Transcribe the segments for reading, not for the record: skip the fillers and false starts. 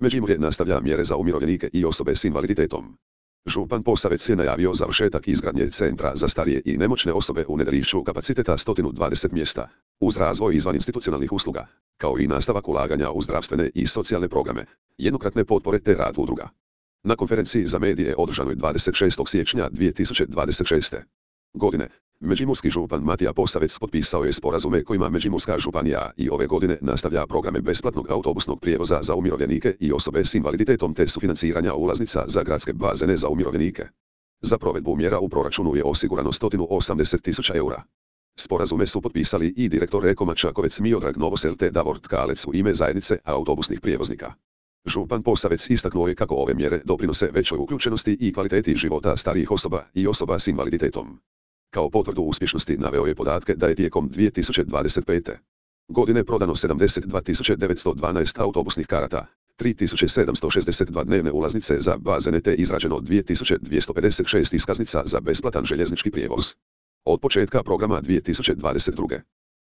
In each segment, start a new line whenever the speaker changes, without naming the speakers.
Međimurje nastavlja mjere za umirovljenike i osobe s invaliditetom. Župan Posavec je najavio završetak izgradnje centra za starije i nemoćne osobe u Nedelišću kapaciteta 120 mjesta, uz razvoj izvaninstitucionalnih usluga, kao i nastavak ulaganja u zdravstvene i socijalne programe, jednokratne potpore te rad udruga. Na konferenciji za medije održanoj 26. siječnja 2026. godine, međimurski župan Matija Posavec potpisao je sporazume kojima Međimurska županija i ove godine nastavlja programe besplatnog autobusnog prijevoza za umirovljenike i osobe s invaliditetom te sufinanciranja ulaznica za gradske bazene za umirovljenike. Za provedbu mjera u proračunu je osigurano 180.000 eura. Sporazume su potpisali i direktor Ekoma Čakovec Miodrag Novosel te Davor Tkalec u ime zajednice autobusnih prijevoznika. Župan Posavec istaknuo je kako ove mjere doprinose većoj uključenosti i kvaliteti života starijih osoba i osoba s invaliditetom. Kao potvrdu uspješnosti naveo je podatke da je tijekom 2025. godine prodano 72.912 autobusnih karata, 3.762 dnevne ulaznice za bazene te izrađeno 2.256 iskaznica za besplatan željeznički prijevoz. Od početka programa 2022.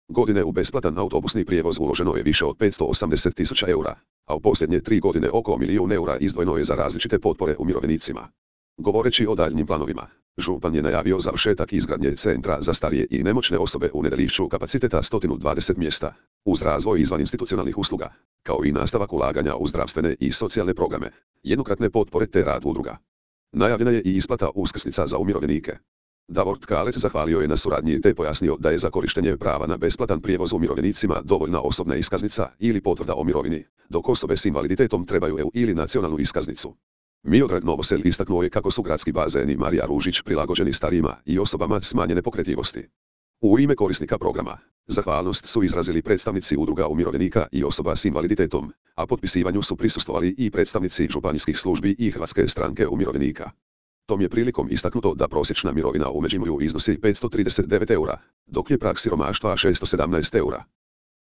godine u besplatan autobusni prijevoz uloženo je više od 580.000 eura, a u posljednje 3 godine oko 1 milijun eura izdvojeno je za različite potpore umirovljenicima. Govoreći o daljnjim planovima, župan je najavio završetak izgradnje centra za starije i nemoćne osobe u Nedelišću kapaciteta 120 mjesta, uz razvoj izvaninstitucionalnih usluga, kao i nastavak ulaganja u zdravstvene i socijalne programe, jednokratne potpore te rad udruga. Najavljena je i isplata uskrsnica za umirovljenike. Davor Tkalec zahvalio je na suradnji te pojasnio da je za korištenje prava na besplatan prijevoz umirovljenicima dovoljna osobna iskaznica ili potvrda o mirovini, dok osobe s invaliditetom trebaju EU ili nacionalnu iskaznicu. Miodrag Novosel istaknuo je kako su gradski bazeni Marija Ružić prilagođeni starijima i osobama smanjene pokretljivosti. U ime korisnika programa, zahvalnost su izrazili predstavnici udruga umirovljenika i osoba s invaliditetom, a potpisivanju su prisustvovali i predstavnici županijskih službi i Hrvatske stranke umirovljenika. Tom je prilikom istaknuto da prosječna mirovina u Međimurju iznosi 539 eura, dok je prag siromaštva 617 eura.